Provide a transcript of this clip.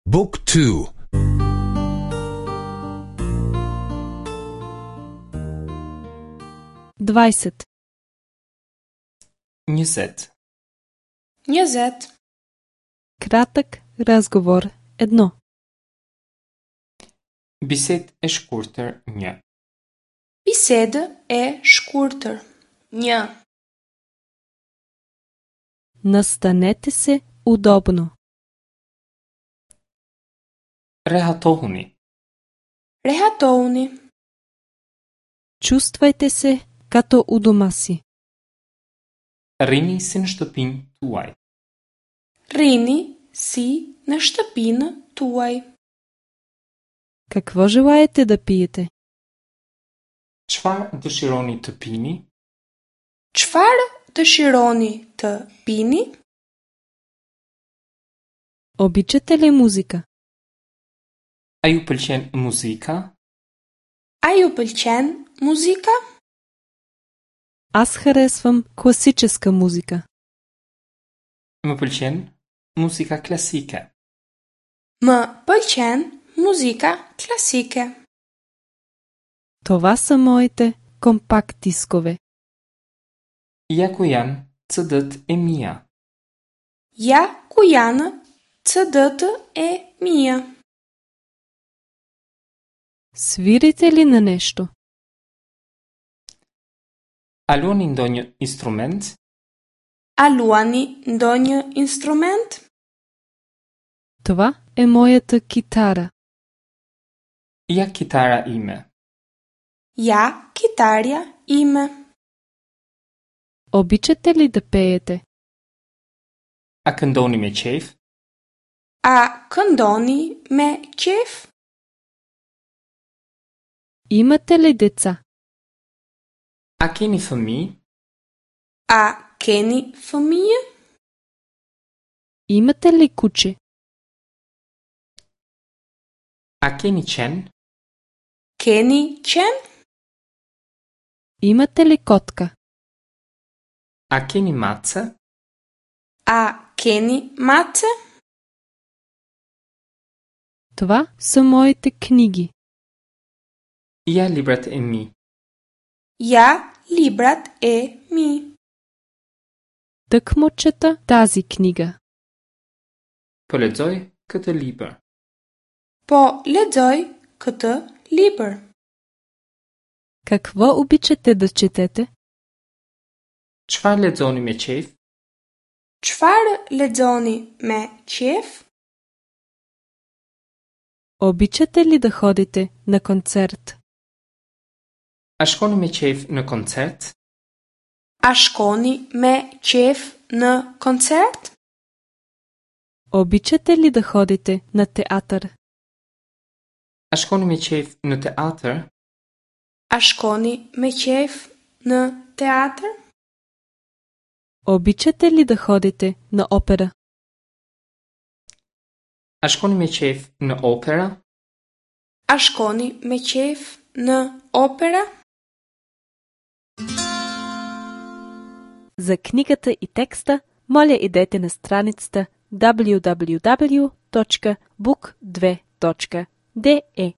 Book 2. 20. 20. 20. Кратък разговор 1. Bised e shkurtër 1. Biseda e shkurtër 1. Настанете се удобно. Rehatohuni. Rehatohuni. Чувствайте се като у дома си. Rrini si në shtëpinë tuaj. Rini si në shtëpinë tuaj. Какво желаете да пиете? Çfarë dëshironi të pini? Çfarë dëshironi të pini? Обичате ли музика? A ju pëlqen muzika? A ju pëlqen muzika? Аз харесвам класическа музика. Më pëlqen muzika klasike. Më pëlqen muzika klasike. Това са моите компакт дискове. Ja ku janë CD-t e mia. Ja ku janë CD-të e mia. Свирите ли на нещо? A luani ndonjë instrument? A luani ndonjë instrument? Това е моята китара. Ja kitara ime. Ja kitarja ime. Обичате ли да пеете? A këndoni me qejf? A këndoni me qejf? Имате ли деца? A keni fëmijë? A keni fëmijë? Имате ли куче? A keni qen? Keni qen? Имате ли котка? A keni mace? A keni mace? Това са моите книги. Ja librat e mi. Ja librat e mi. Тъкмо чета тази книга. Po lexoj këtë libër. Po lexoj këtë libër. Какво обичате да четете? Çfarë lexoni me qejf? Çfarë lexoni me qejf? Обичате ли да ходите на концерт? A shkoni me qejf në koncert? A shkoni me qejf në koncert? Обичате ли да ходите на театър? A shkoni me qejf në teatër? A shkoni me qejf në teatër? Обичате ли да ходите на опера? A shkoni me qejf në opera? A shkoni me qejf në opera? За книгата и текста, моля идете на страницата www.book2.de